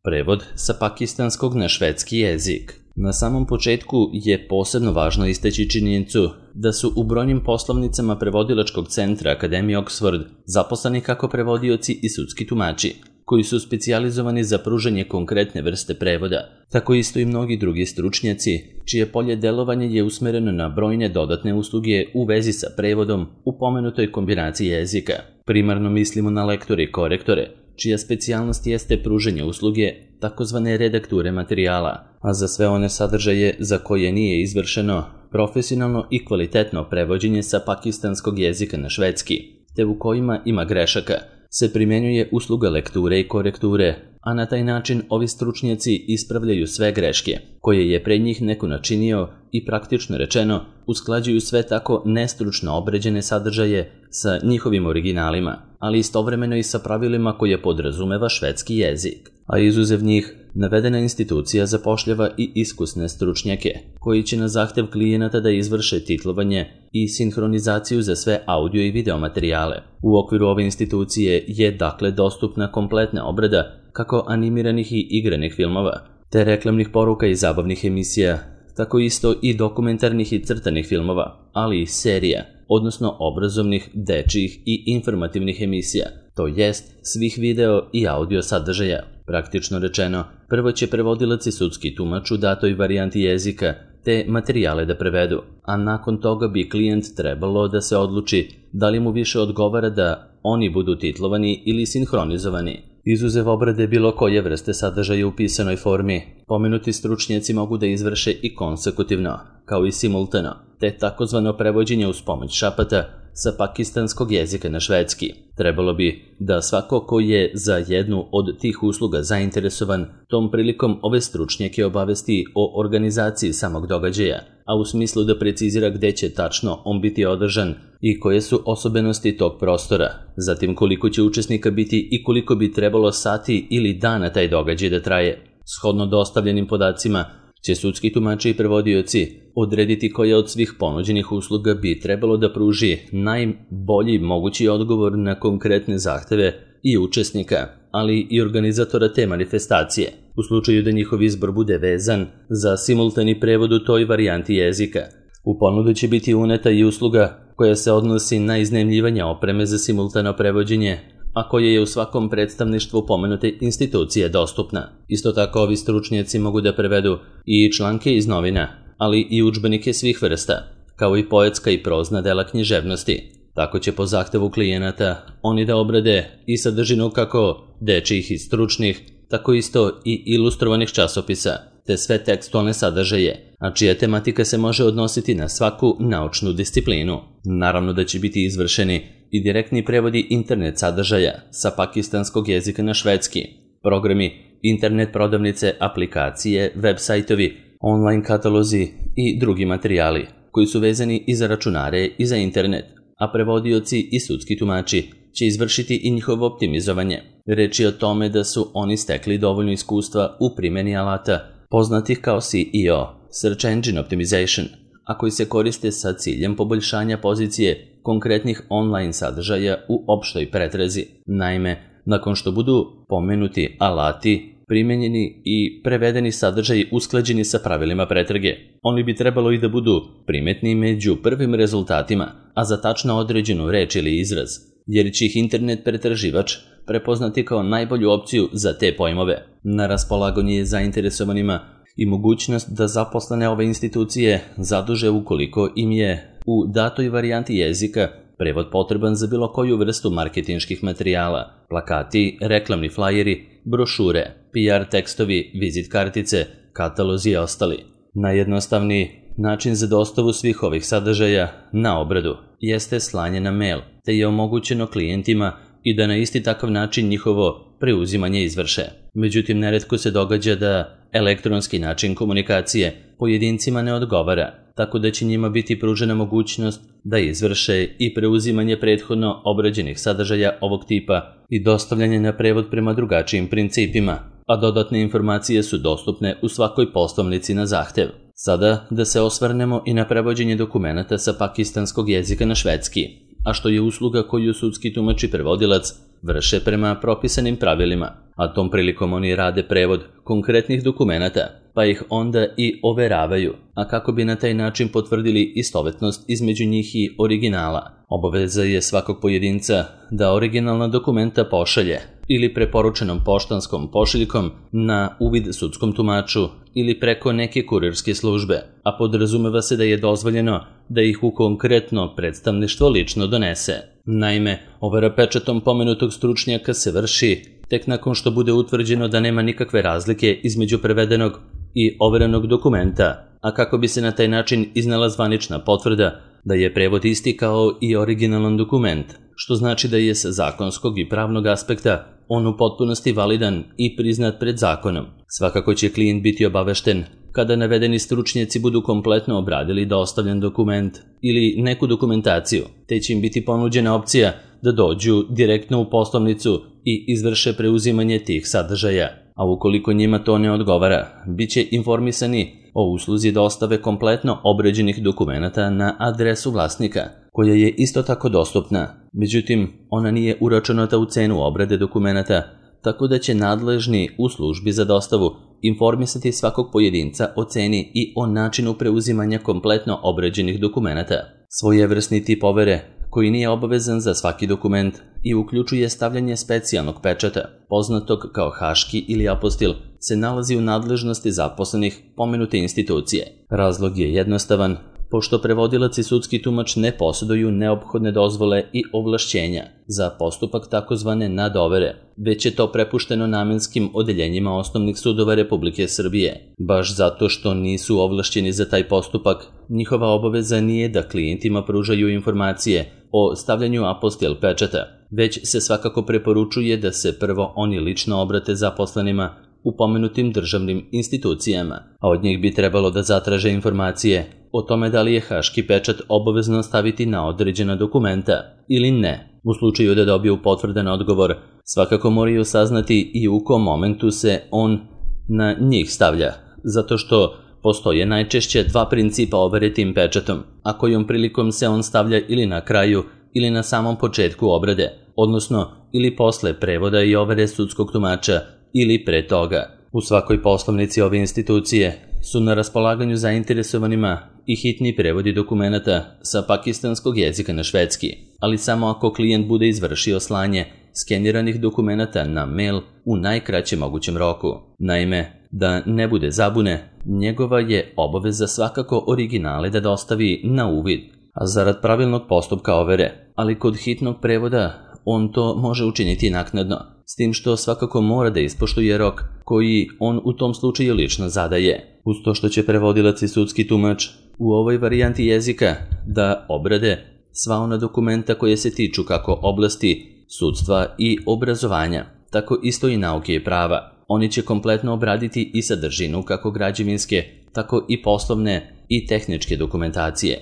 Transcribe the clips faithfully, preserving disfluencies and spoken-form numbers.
Prevod sa pakistanskog na švedski jezik. Na samom početku je posebno važno istaći činjenicu da su u brojnim poslovnicama prevodilačkog centra Akademije Oxford zaposleni kako prevodioci i sudski tumači, koji su specijalizovani za pružanje konkretne vrste prevoda, tako isto i mnogi drugi stručnjaci, čije polje delovanja je usmereno na brojne dodatne usluge u vezi sa prevodom u pomenutoj kombinaciji jezika. Primarno mislimo na lektore i korektore, čija specijalnost jeste pružanje usluge takozvane redakture materijala, a za sve one sadržaje za koje nije izvršeno profesionalno i kvalitetno prevođenje sa pakistanskog jezika na švedski, te u kojima ima grešaka, se primjenjuje usluga lekture i korekture, a na taj način ovi stručnjaci ispravljaju sve greške koje je pred njih neko načinio i praktično rečeno usklađuju sve tako nestručno obređene sadržaje sa njihovim originalima, ali istovremeno i sa pravilima koje podrazumeva švedski jezik. A izuzev njih, navedena institucija zapošljava i iskusne stručnjake, koji će na zahtev klijenata da izvrše titlovanje i sinhronizaciju za sve audio i video materijale. U okviru ove institucije je dakle dostupna kompletna obrada kako animiranih i igranih filmova, te reklamnih poruka i zabavnih emisija, tako isto i dokumentarnih i crtanih filmova, ali i serija, odnosno obrazovnih, dečjih i informativnih emisija, to jest svih video i audio sadržaja. Praktično rečeno, prvo će prevodilac i sudski tumač u datoj varijanti jezika te materijale da prevedu, a nakon toga bi klijent trebalo da se odluči da li mu više odgovara da oni budu titlovani ili sinhronizovani. Izuzev obrade bilo koje vrste sadržaja u pisanoj formi, pomenuti stručnjaci mogu da izvrše i konsekutivno, kao i simultano, te takozvano prevođenje uz pomoć šapata sa pakistanskog jezika na švedski. Trebalo bi da svako ko je za jednu od tih usluga zainteresovan tom prilikom ove stručnjake obavesti o organizaciji samog događaja, a u smislu da precizira gde će tačno on biti održan i koje su osobenosti tog prostora, zatim koliko će učesnika biti i koliko bi trebalo sati ili dana taj događaj da traje. Shodno dostavljenim podacima će sudski tumači i prevodioci odrediti koja od svih ponuđenih usluga bi trebalo da pruži najbolji mogući odgovor na konkretne zahteve i učesnika, ali i organizatora te manifestacije, u slučaju da njihov izbor bude vezan za simultani prevod u toj varijanti jezika. U ponudu će biti uneta i usluga koja se odnosi na iznajmljivanje opreme za simultano prevođenje, a koja je u svakom predstavništvu pomenute institucije dostupna. Isto tako ovi stručnjaci mogu da prevedu i članke iz novina, ali i udžbenike svih vrsta, kao i poetska i prozna dela književnosti. Tako će po zahtevu klijenata oni da obrade i sadržinu kako dečijih i stručnih, tako isto i ilustrovanih časopisa, te sve tekstualne sadržaje, a čija tematika se može odnositi na svaku naučnu disciplinu. Naravno da će biti izvršeni i direktni prevodi internet sadržaja sa pakistanskog jezika na švedski, programi, internet prodavnice, aplikacije, web sajtovi, online katalozi i drugi materijali koji su vezani i za računare i za internet, a prevodioci i sudski tumači će izvršiti i njihovo optimizovanje. Reč je o tome da su oni stekli dovoljno iskustva u primjeni alata poznatih kao S E O, Search Engine Optimization, a koji se koriste sa ciljem poboljšanja pozicije konkretnih online sadržaja u opštoj pretrazi. Naime, nakon što budu pomenuti alati primenjeni i prevedeni sadržaji usklađeni sa pravilima pretrage, oni bi trebalo i da budu primetni među prvim rezultatima, a za tačno određenu reč ili izraz, jer će ih internet pretraživač prepoznati kao najbolju opciju za te pojmove. Na raspolaganju je zainteresovanima i mogućnost da zaposlene ove institucije zaduže ukoliko im je u datoj varijanti jezika prevod potreban za bilo koju vrstu marketinških materijala, plakati, reklamni flajeri, brošure, P R tekstovi, vizit kartice, katalozi i ostali. Najjednostavniji način za dostavu svih ovih sadržaja na obradu jeste slanje na mail, te je omogućeno klijentima i da na isti takav način njihovo preuzimanje izvrše. Međutim, neretko se događa da elektronski način komunikacije pojedincima ne odgovara, tako da će njima biti pružena mogućnost da izvrše i preuzimanje prethodno obrađenih sadržaja ovog tipa i dostavljanje na prevod prema drugačijim principima, a dodatne informacije su dostupne u svakoj poslovnici na zahtev. Sada da se osvrnemo i na prevođenje dokumenata sa pakistanskog jezika na švedski. a što je usluga koju sudski tumač i prevodilac vrše prema propisanim pravilima, a tom prilikom oni rade prevod konkretnih dokumenata, pa ih onda i overavaju, a kako bi na taj način potvrdili istovetnost između njih i originala. Obaveza je svakog pojedinca da originalna dokumenta pošalje ili preporučenom poštanskom pošiljkom na uvid sudskom tumaču ili preko neke kurirske službe, a podrazumeva se da je dozvoljeno da ih u konkretno predstavništvo lično donese. Naime, overa pečatom pomenutog stručnjaka se vrši tek nakon što bude utvrđeno da nema nikakve razlike između prevedenog i overenog dokumenta, a kako bi se na taj način iznela zvanična potvrda da je prevod isti kao i originalan dokument, što znači da je sa zakonskog i pravnog aspekta on u potpunosti validan i priznat pred zakonom. Svakako će klijent biti obavešten kada navedeni stručnjaci budu kompletno obradili dostavljen dokument ili neku dokumentaciju, te će im biti ponuđena opcija da dođu direktno u poslovnicu i izvrše preuzimanje tih sadržaja, a ukoliko njima to ne odgovara, bit će informisani o usluzi dostave kompletno obrađenih dokumenata na adresu vlasnika, koja je isto tako dostupna. Međutim, ona nije uračunata u cenu obrade dokumenata, tako da će nadležni u službi za dostavu informisati svakog pojedinca o ceni i o načinu preuzimanja kompletno obrađenih dokumenata. Svojevrsni tip overe, koji nije obavezan za svaki dokument i uključuje stavljanje specijalnog pečata, poznatog kao haški ili apostil, se nalazi u nadležnosti zaposlenih pomenute institucije. Razlog je jednostavan, pošto prevodilac i sudski tumač ne posjeduju neophodne dozvole i ovlašćenja za postupak takozvane nadovere, već je to prepušteno namenskim odeljenjima osnovnih sudova Republike Srbije. Baš zato što nisu ovlašćeni za taj postupak, njihova obaveza nije da klijentima pružaju informacije o stavljanju apostil pečata, već se svakako preporučuje da se prvo oni lično obrate zaposlenima u pomenutim državnim institucijama, a od njih bi trebalo da zatraže informacije o tome da li je haški pečat obavezno staviti na određena dokumenta ili ne. U slučaju da dobiju potvrdan odgovor, svakako moraju saznati i u kom momentu se on na njih stavlja, zato što postoje najčešće dva principa overe tim pečatom, a kojom prilikom se on stavlja ili na kraju ili na samom početku obrade, odnosno ili posle prevoda i overe sudskog tumača ili pre toga. U svakoj poslovnici ove institucije su na raspolaganju zainteresovanima i hitni prevodi dokumenata sa pakistanskog jezika na švedski, ali samo ako klijent bude izvršio slanje skeniranih dokumenata na mail u najkraćem mogućem roku. Naime, da ne bude zabune, njegova je obaveza svakako originale da dostavi na uvid, a zarad pravilnog postupka overe, ali kod hitnog prevoda on to može učiniti naknadno, s tim što svakako mora da ispoštuje rok koji on u tom slučaju lično zadaje, uz to što će prevodilac i sudski tumač u ovoj varijanti jezika da obrade sva ona dokumenta koje se tiču kako oblasti sudstva i obrazovanja, tako isto i nauke i prava. Oni će kompletno obraditi i sadržinu kako građevinske, tako i poslovne i tehničke dokumentacije.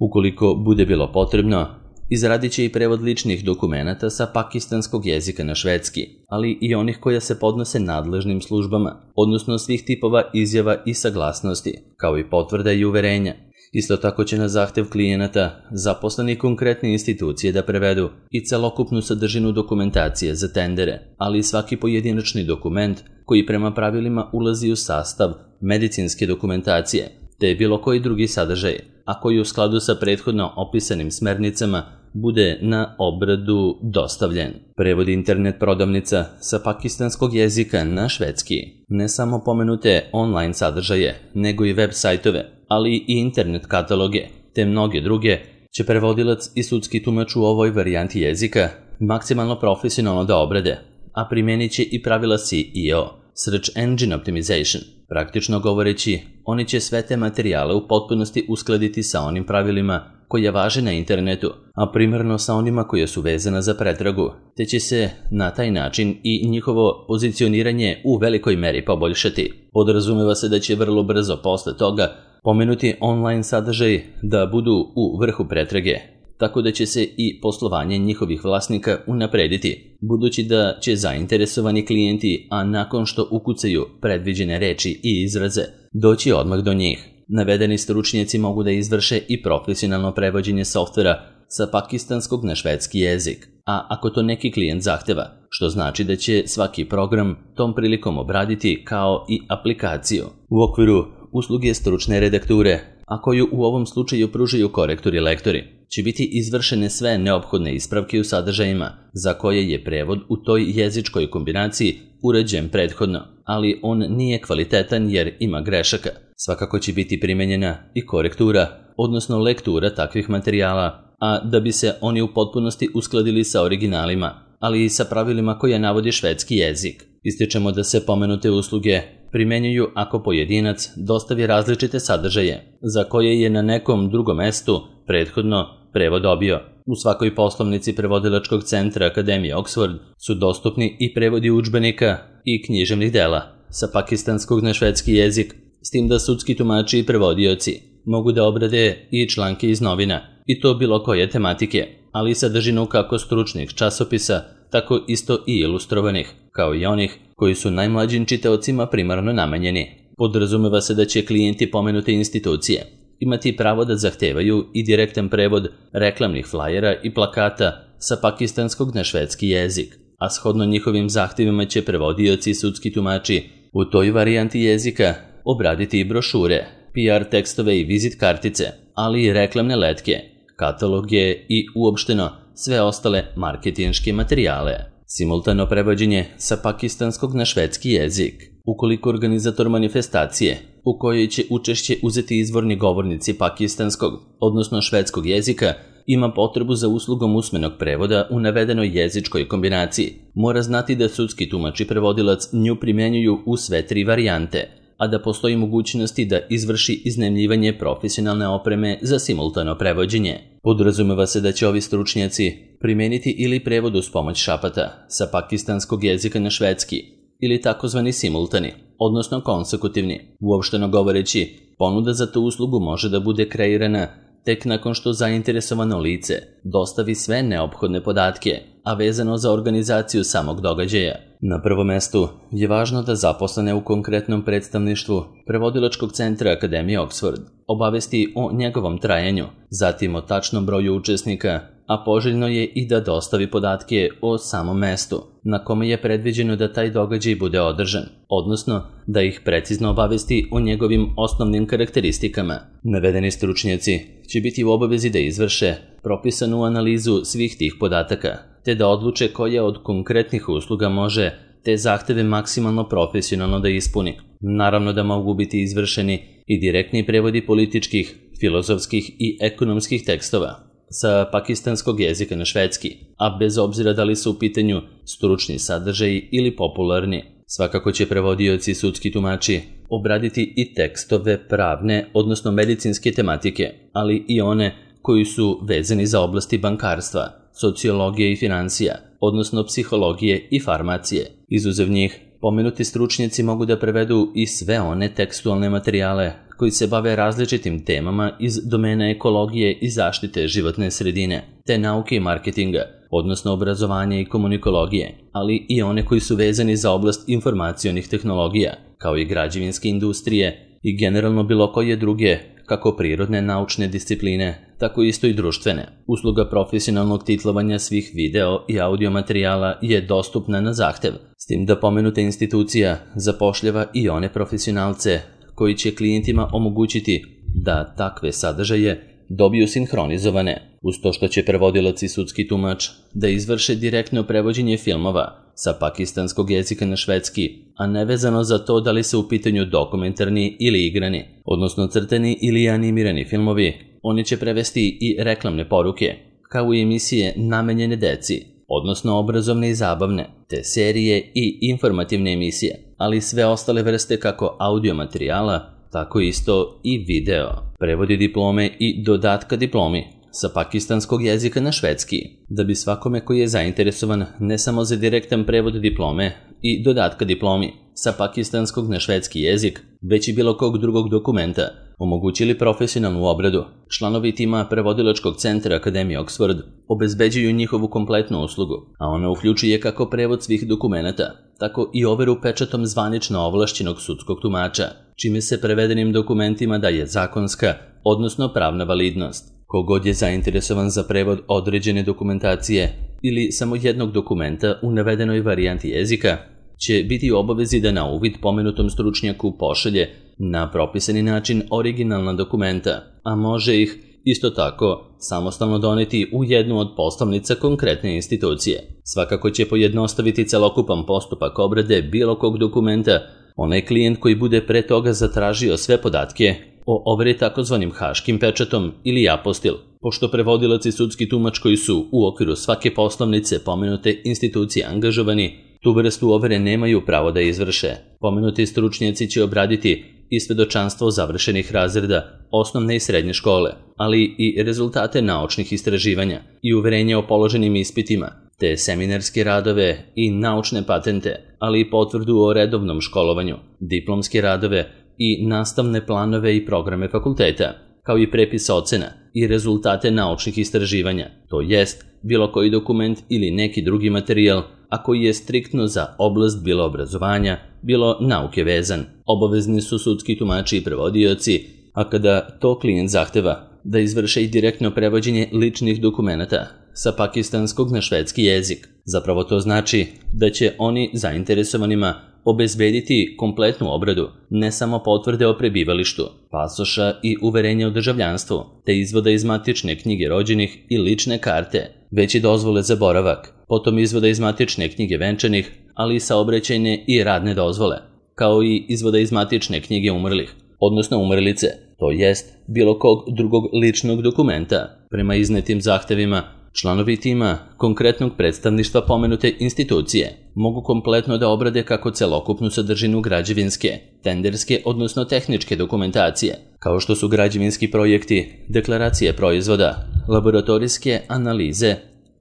Ukoliko bude bilo potrebno, izradit će i prevod ličnih dokumenata sa pakistanskog jezika na švedski, ali i onih koja se podnose nadležnim službama, odnosno svih tipova izjava i saglasnosti, kao i potvrda i uverenja. Isto tako će na zahtev klijenata zaposleni konkretne institucije da prevedu i celokupnu sadržinu dokumentacije za tendere, ali i svaki pojedinačni dokument koji prema pravilima ulazi u sastav medicinske dokumentacije, te bilo koji drugi sadržaj, a koji u skladu sa prethodno opisanim smernicama bude na obradu dostavljen. Prevod internet prodavnica sa pakistanskog jezika na švedski, ne samo pomenute online sadržaje, nego i web sajtove, ali i internet kataloge, te mnoge druge, će prevodilac i sudski tumač u ovoj varijanti jezika maksimalno profesionalno da obrade, a primenit će i pravila S E O, Search Engine Optimization. Praktično govoreći, oni će sve te materijale u potpunosti uskladiti sa onim pravilima koje važe na internetu, a primarno sa onima koje su vezana za pretragu, te će se na taj način i njihovo pozicioniranje u velikoj meri poboljšati. Podrazumeva se da će vrlo brzo posle toga pomenuti online sadržaj da budu u vrhu pretrage, tako da će se i poslovanje njihovih vlasnika unaprediti, budući da će zainteresovani klijenti, a nakon što ukucaju predviđene reči i izraze, doći odmah do njih. Navedeni stručnjaci mogu da izvrše i profesionalno prevođenje softvera sa pakistanskog na švedski jezik, a ako to neki klijent zahteva, što znači da će svaki program tom prilikom obraditi kao i aplikaciju. U okviru usluge stručne redakture, a koju u ovom slučaju pružaju korektori i lektori, će biti izvršene sve neophodne ispravke u sadržajima za koje je prevod u toj jezičkoj kombinaciji uređen prethodno, ali on nije kvalitetan jer ima grešaka. Svakako će biti primenjena i korektura, odnosno lektura takvih materijala, a da bi se oni u potpunosti uskladili sa originalima, ali i sa pravilima koje navodi švedski jezik. Ističemo da se pomenute usluge primenjuju ako pojedinac dostavi različite sadržaje za koje je na nekom drugom mestu prethodno prevod dobio. U svakoj poslovnici prevodilačkog centra Akademije Oxford su dostupni i prevodi udžbenika i književnih dela sa pakistanskog na švedski jezik, s tim da sudski tumači i prevodioci mogu da obrade i članke iz novina, i to bilo koje tematike, ali i sadržinu kako stručnih časopisa, tako isto i ilustrovanih, kao i onih koji su najmlađim čitaocima primarno namenjeni. Podrazumeva se da će klijenti pomenute institucije imati pravo da zahtevaju i direktan prevod reklamnih flajera i plakata sa pakistanskog na švedski jezik, a shodno njihovim zahtevima će prevodioci i sudski tumači u toj varijanti jezika obraditi i brošure, P R tekstove i vizit kartice, ali i reklamne letke, kataloge i uopšteno sve ostale marketinške materijale. Simultano prevođenje sa pakistanskog na švedski jezik. Ukoliko organizator manifestacije u kojoj će učešće uzeti izvorni govornici pakistanskog, odnosno švedskog jezika, ima potrebu za uslugom usmenog prevoda u navedenoj jezičkoj kombinaciji, mora znati da sudski tumač i prevodilac nju primjenjuju u sve tri varijante, a da postoji mogućnosti da izvrši iznajmljivanje profesionalne opreme za simultano prevođenje. Podrazumeva se da će ovi stručnjaci primeniti ili prevod uz pomoć šapata sa pakistanskog jezika na švedski ili takozvani simultani, odnosno konsekutivni. Uopšteno govoreći, ponuda za tu uslugu može da bude kreirana tek nakon što zainteresovano lice dostavi sve neophodne podatke, a vezano za organizaciju samog događaja. Na prvom mestu je važno da zaposlene u konkretnom predstavništvu prevodilačkog centra Akademije Oxford obavesti o njegovom trajanju, zatim o tačnom broju učesnika, a poželjno je i da dostavi podatke o samom mestu na kome je predviđeno da taj događaj bude održan, odnosno da ih precizno obavesti o njegovim osnovnim karakteristikama. Navedeni stručnjaci će biti u obavezi da izvrše propisanu analizu svih tih podataka, te da odluče koja od konkretnih usluga može te zahteve maksimalno profesionalno da ispuni. Naravno da mogu biti izvršeni i direktni prevodi političkih, filozofskih i ekonomskih tekstova sa pakistanskog jezika na švedski, a bez obzira da li su u pitanju stručni sadržaji ili popularni. Svakako će prevodioci i sudski tumači obraditi i tekstove pravne, odnosno medicinske tematike, ali i one koji su vezani za oblasti bankarstva, sociologije i financija, odnosno psihologije i farmacije. Izuzev njih, pomenuti stručnjaci mogu da prevedu i sve one tekstualne materijale koji se bave različitim temama iz domena ekologije i zaštite životne sredine, te nauke i marketinga, odnosno obrazovanja i komunikologije, ali i one koji su vezani za oblast informacionih tehnologija, kao i građevinske industrije i generalno bilo koje druge, kako prirodne naučne discipline, tako isto i društvene. Usluga profesionalnog titlovanja svih video i audio materijala je dostupna na zahtev, s tim da pomenuta institucija zapošljava i one profesionalce koji će klijentima omogućiti da takve sadržaje dobiju sinhronizovane, uz to što će prevodilac i sudski tumač da izvrše direktno prevođenje filmova sa pakistanskog jezika na švedski, a nevezano za to da li se u pitanju dokumentarni ili igrani, odnosno crteni ili animirani filmovi. Oni će prevesti i reklamne poruke, kao i emisije namenjene deci, odnosno obrazovne i zabavne, te serije i informativne emisije, ali sve ostale vrste kako audio materijala, tako isto i video. Prevodi diplome i dodatka diplomi sa pakistanskog jezika na švedski, da bi svakome koji je zainteresovan ne samo za direktan prevod diplome i dodatka diplomi sa pakistanskog na švedski jezik, već i bilo kog drugog dokumenta, omogućili profesionalnu obradu. Članovi tima prevodilačkog centra Akademije Oxford obezbeđuju njihovu kompletnu uslugu, a ona uključuje kako prevod svih dokumenata, tako i overu pečatom zvanično ovlašćenog sudskog tumača, čime se prevedenim dokumentima daje zakonska, odnosno pravna validnost. Kogod je zainteresovan za prevod određene dokumentacije ili samo jednog dokumenta u navedenoj varijanti jezika, će biti u obavezi da na uvid pomenutom stručnjaku pošalje na propisani način originalna dokumenta, a može ih isto tako samostalno doneti u jednu od poslovnica konkretne institucije. Svakako će pojednostaviti celokupan postupak obrade bilo kog dokumenta onaj klijent koji bude pre toga zatražio sve podatke o overi takozvanim haškim pečatom ili apostil, pošto prevodilac i sudski tumač koji su u okviru svake poslovnice pomenute institucije angažovani, tu vrstu overe nemaju pravo da izvrše. Pomenuti stručnjaci će obraditi i svedočanstvo završenih razreda osnovne i srednje škole, ali i rezultate naučnih istraživanja i uverenja o položenim ispitima, te seminarske radove i naučne patente, ali i potvrdu o redovnom školovanju, diplomske radove i nastavne planove i programe fakulteta, kao i prepis ocena i rezultate naučnih istraživanja, to jest bilo koji dokument ili neki drugi materijal, a koji je striktno za oblast bilo obrazovanja, bilo nauke vezan. Obavezni su sudski tumači i prevodioci, a kada to klijent zahteva, da izvrše i direktno prevođenje ličnih dokumenata sa pakistanskog na švedski jezik. Zapravo to znači da će oni zainteresovanima obezbediti kompletnu obradu, ne samo potvrde o prebivalištu, pasoša i uverenja o državljanstvu, te izvoda iz matične knjige rođenih i lične karte, već i dozvole za boravak, potom izvoda iz matične knjige venčanih, ali i saobraćajne i radne dozvole, kao i izvoda iz matične knjige umrlih, odnosno umrlice, to jest bilo kog drugog ličnog dokumenta. Prema iznetim zahtevima, članovi tima konkretnog predstavništva pomenute institucije mogu kompletno da obrade kako celokupnu sadržinu građevinske, tenderske, odnosno tehničke dokumentacije, kao što su građevinski projekti, deklaracije proizvoda, laboratorijske analize,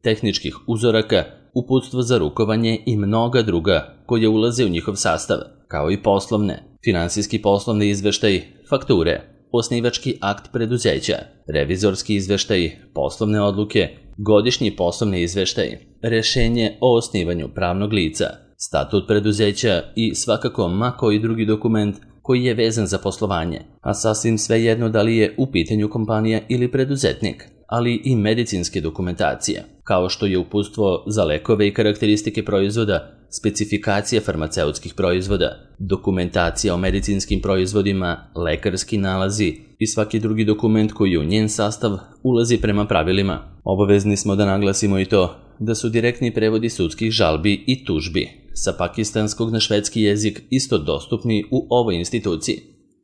tehničkih uzoraka, uputstvo za rukovanje i mnoga druga koje ulaze u njihov sastav, kao i poslovne, finansijski poslovni izveštaj, fakture, osnivački akt preduzeća, revizorski izveštaj, poslovne odluke, godišnji poslovni izveštaj, rešenje o osnivanju pravnog lica, statut preduzeća i svakako ma koji drugi dokument koji je vezan za poslovanje, a sasvim svejedno da li je u pitanju kompanija ili preduzetnik, ali i medicinske dokumentacije, kao što je uputstvo za lekove i karakteristike proizvoda, specifikacija farmaceutskih proizvoda, dokumentacija o medicinskim proizvodima, lekarski nalazi i svaki drugi dokument koji u njen sastav ulazi prema pravilima. Obavezni smo da naglasimo i to da su direktni prevodi sudskih žalbi i tužbi sa pakistanskog na švedski jezik isto dostupni u ovoj instituciji,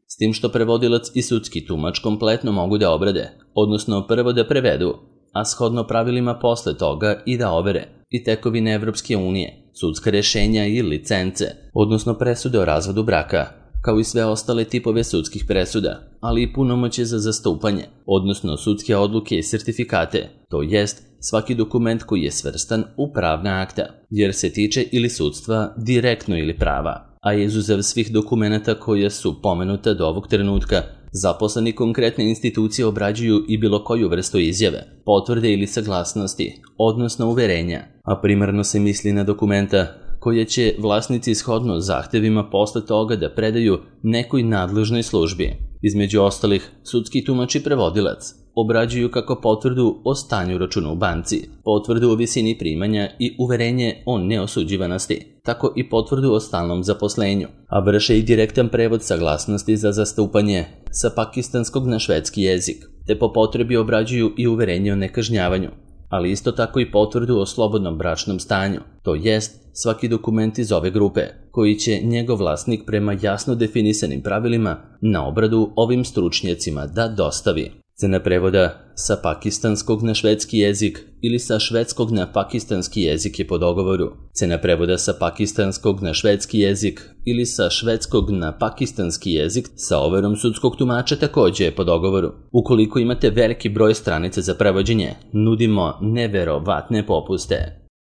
s tim što prevodilac i sudski tumač kompletno mogu da obrade, odnosno prvo da prevedu, a shodno pravilima posle toga i da overe i tekovine Evropske unije, sudska rešenja i licence, odnosno presude o razvodu braka, kao i sve ostale tipove sudskih presuda, ali i punomoćje za zastupanje, odnosno sudske odluke i sertifikate, to jest svaki dokument koji je svrstan u pravna akta, jer se tiče ili sudstva direktno ili prava, a izuzev svih dokumenata koja su pomenuta do ovog trenutka, zaposleni konkretne institucije obrađuju i bilo koju vrstu izjave, potvrde ili saglasnosti, odnosno uverenja, a primarno se misli na dokumenta koje će vlasnici shodno zahtevima posle toga da predaju nekoj nadležnoj službi. Između ostalih, sudski tumač i prevodilac obrađuju kako potvrdu o stanju računa u banci, potvrdu o visini primanja i uverenje o neosuđivanosti, tako i potvrdu o stalnom zaposlenju, a vrše i direktan prevod saglasnosti za zastupanje sa pakistanskog na švedski jezik, te po potrebi obrađuju i uverenje o nekažnjavanju, ali isto tako i potvrdu o slobodnom bračnom stanju, to jest svaki dokument iz ove grupe, koji će njegov vlasnik prema jasno definisanim pravilima na obradu ovim stručnjacima da dostavi. Cena prevoda sa pakistanskog na švedski jezik ili sa švedskog na pakistanski jezik je po dogovoru. Cena prevoda sa pakistanskog na švedski jezik ili sa švedskog na pakistanski jezik sa overom sudskog tumača takođe je po dogovoru. Ukoliko imate veliki broj stranica za prevođenje, nudimo neverovatne popuste.